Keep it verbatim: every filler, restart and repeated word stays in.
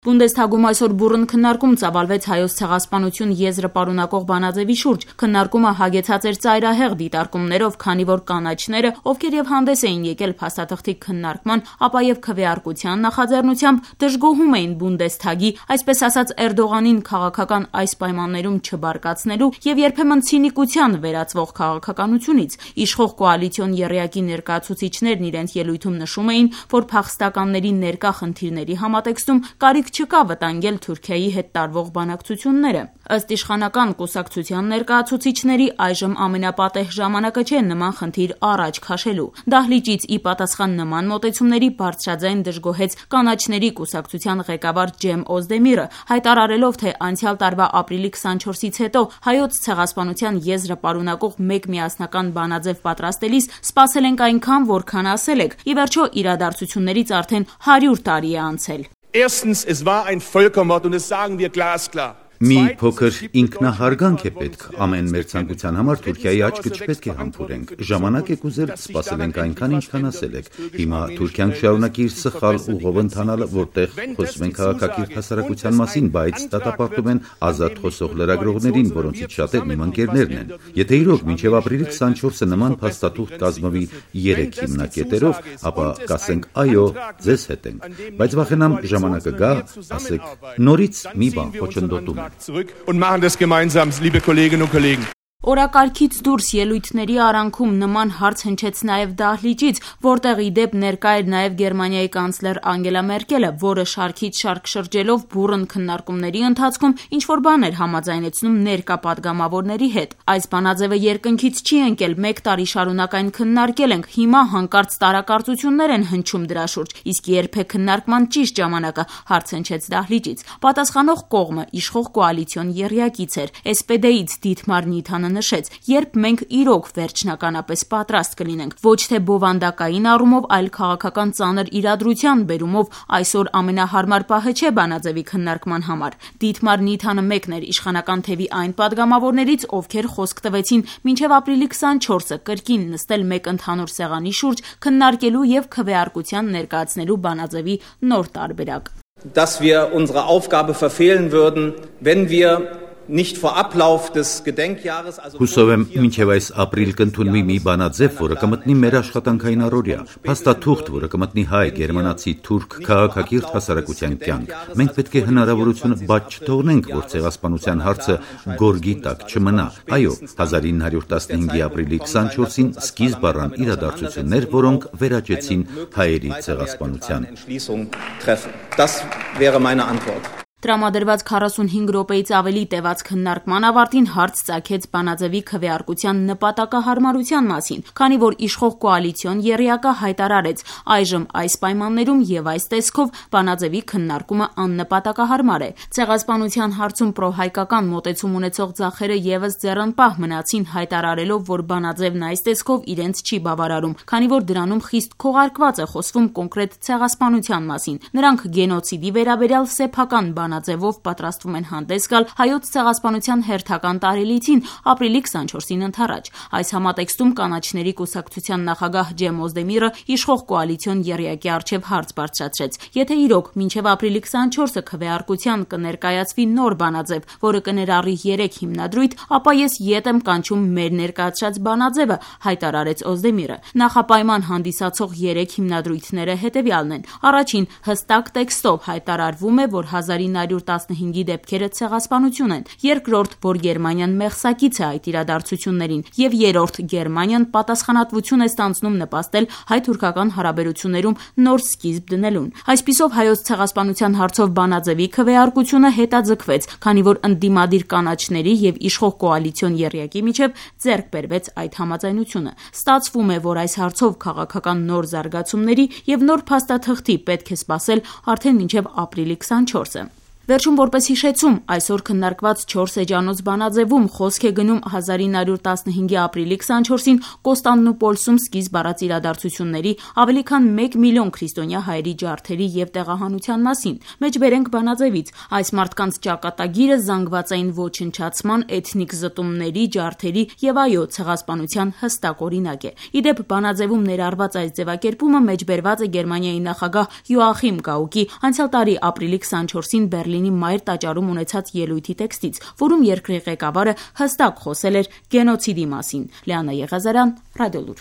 Բունդեսթագում այսօր բուռն քննարկում ծավալվեց Հայոց ցեղասպանություն եզրը պարունակող բանաձևի շուրջ։ Քննարկումը հագեցած էր ծայրահեղ դիտարկումներով, քանի որ կանաչները, ովքեր եւ հանդես էին եկել փաստաթղթի քննարկման, ապա եւ քվեարկության նախաձեռնությամբ դժգոհում էին Բունդեսթագի, այսպես ասած Էրդողանին քաղաքական այս պայմաններում չբարկացնելու եւ երբեմն ցինիկության վերածվող քաղաքականությունից։ Իշխող կոալիցիոն եռյակի ներկայացուցիչներն իրենց ելույթում նշում էին, որ փախստականների ներկա խնդիրների համատեքստում կարիք չկա վտանգել Թուրքիայի հետ տարվող բանակցությունները։ Ըստ իշխանական կուսակցության ներկայացուցիչների այժմ ամենապատեհ ժամանակը չէ նման խնդիր առաջ քաշելու։ Դահլիճից ի պատասխան նման մոտեցումների բարձրաձայն դժգոհեց կանաչների կուսակցության ղեկավար Ջեմ Օզդեմիրը, հայտարարելով, թե անցյալ տարվա ապրիլի քսանչորսից հետո հայոց ցեղասպանության եզրը պարունակող մեկ միասնական բանաձև պատրաստելիս սպասել ենք այնքան, որքան ասել եք։ Ի վերջո իրադարձություններից արդեն հարյուր տարի է անցել։ Erstens, es war ein Völkermord und das sagen wir glasklar. Մի փոքր ինքնահարգանք է պետք ամեն մեր ցանկության համար Թուրքիայի աչքը չպետք է համբուրենք։ Ժամանակ եք ուզել, սպասել ենք այնքան, ինչքան ասել եք։ Հիմա Թուրքիան շարունակի իր սխալ ուղով ընթանալը, որտեղ խոսում են քաղաքակիրթ հասարակության մասին, բայց դատապարտում են ազատ խոսող լրագրողներին, որոնցից շատերն իմ ընկերներն են։ Եթե իրոք մինչև ապրիլի քսանչորսը նման փաստաթուղթ կազմվի երեք հիմնակետերով, ապա կասենք այո, ձեզ հետ ենք։ Բայց վախենամ ժամանակը գա, ասեք նորից մի բան խոչընդոտում։ Zurück und machen das gemeinsam, liebe Kolleginnen und Kollegen. Օրակարգից դուրս ելույթների արանքում նման հարց հնչեց նաև Դահլիճից, որտեղ ի դեպ ներկա էր նաև Գերմանիայի կանցլեր Անգելա Մերկելը, որը շարքից շարք շրջելով բուռն քննարկումների ընթացքում ինչ-որ բան էր համաձայնեցնում ներկա պատգամավորների հետ։ Այս բանաձևը երկնքից չի ընկել, մեկ տարի շարունակ այն քննարկել ենք, հիմա հանկարծ տարակարծություններ են հնչում դրա շուրջ, իսկ երբ է քննարկման ճիշտ ժամանակը, հարց հնչեց Դահլիճից։ Պատասխանող կողմը իշխող կոալիցիոն եռյակից էր, էս պե դե-ից Դիթմար Նիթանը նշեց, երբ մենք իրոք վերջնականապես պատրաստ կլինենք, ոչ թե բովանդակային առումով, այլ քաղաքական ծանր իրադրության բերումով, այսօր ամենահարմար պահը չէ բանաձևի քննարկման համար։ Դիթմար Նիթանը մեկն էր իշխանական թևի այն պատգամավորներից, ովքեր խոսք տվեցին մինչև ապրիլի քսանչորսը կրկին նստել մեկ ընդհանուր սեղանի շուրջ, քննարկելու եւ քվեարկության ներկայացնելու բանաձևի նոր տարբերակ։ Dass wir unsere Aufgabe verfehlen würden, wenn wir nicht vor Ablauf des Gedenkjahres, also Հուսով եմ մինչև այս ապրիլ կընդունվի մի բանաձև, որը կմտնի մեր աշխատանքային առօրյա, փաստաթուղթ, որը կմտնի հայ, գերմանացի, թուրք, քաղաքակիրթ հասարակության կյանք։ Մենք պետք է հնարավորություն բաց չթողնենք, որ ցեղասպանության հարցը գորգի տակ չմնա։ Այո, հազար ինը հարյուր տասնհինգի ապրիլի քսանչորսին սկիզբ առան իրադարձություններ, որոնք վերաճեցին հայերի ցեղասպանության։ Das wäre meine Antwort. Տրամադրված քառասունհինգ րոպեից ավելի տևած քննարկման ավարտին հարց ծագեց բանաձևի քվեարկության նպատակահարմարության մասին, քանի որ իշխող կոալիցիոն եռյակը հայտարարեց, այժմ այս պայմաններում եւ այս տեսքով բանաձևի քննարկումը աննպատակահարմար է։ Ցեղասպանության հարցում պրոհայկական մոտեցում ունեցող ձախերը եւս ձեռնպահ մնացին, հայտարարելով, որ բանաձևն այս տեսքով իրենց չի բավարարում, քանի որ դրանում խիստ քողարկված է խոսվում կոնկրետ ցեղասպանության մասին։ Նրանք գենոցիդի վերաբերյալ սեփական բանաձևով պատրաստվում են հանդես գալ հայոց ցեղասպանության հերթական տարելիցին ապրիլի քսանչորսին ընդառաջ։ Այս համատեքստում կանաչների կուսակցության նախագահ Ջեմ Օզդեմիրը իշխող կոալիցիոն եռյակի առջև հարց բարձրացրեց. Եթե իրոք մինչև ապրիլի քսանչորսը քվեարկության կներկայացվի նոր բանաձև, որը կներառի երեք հիմնադրույթ, ապա ես ետ եմ կանչում մեր ներկայացրած բանաձևը, հայտարարեց Օզդեմիրը։ Նախապայման հանդիսացող երեք հիմնադրույթները հետևյալն են. Առաջին, հստակ տեքստով հայտարարվում է, որ հազար ինը հարյուր տասնհինգի դեպքերը ցեղասպանություն են, երկրորդ, որ Գերմանիան մեղսակից է այդ իրադարձություններին, եւ երրորդ, Գերմանիան պատասխանատվություն է ստանձնում նպաստել հայ-թուրքական հարաբերություններում նոր սկիզբ դնելուն։ Այսպիսով հայոց ցեղասպանության հարցով բանաձևի քվեարկությունը հետաձգվեց, քանի որ ընդդիմադիր կանաչների եւ իշխող կոալիցիոն եռյակի միջև ձեռք բերվեց այդ համաձայնությունը։ Ստացվում է, որ այս հարցով քաղաքական նոր զարգացումների եւ նոր փաստաթղթի պետք է սպասել արդեն մինչև ապրիլի քսանչորսը։ Վերջում որպես հիշեցում, այսօր քննարկված չորս էջանոց բանաձևում խոսք է գնում հազար ինը հարյուր տասնհինգի ապրիլի քսանչորսին Կոստանդնուպոլսում սկիզբ առած իրադարձությունների, ավելի քան մեկ միլիոն քրիստոնյա հայերի ջարդերի եւ տեղահանության մասին։ Մեջբերենք բանաձևից, այս մարդկանց ճակատագիրը զանգվածային ոչնչացման, էթնիկ զտումների, ջարդերի եւ այո ցեղասպանության հստակ օրինակ է։ Իդեպ բանաձևում ներառված այս ձևակերպումը մեջբերված է Գերմանիայի նախագահ Յոախիմ Գաուկի անցյալ տարի ապրիլի քսանչորսին Բեռլինի Մայր տաճարում ունեցած ելույթի տեքստից, որում երկրի ղեկավարը հստակ խոսել էր գենոցիդի մասին։ Լիանա Եղազարյան, Ռադիոլուր։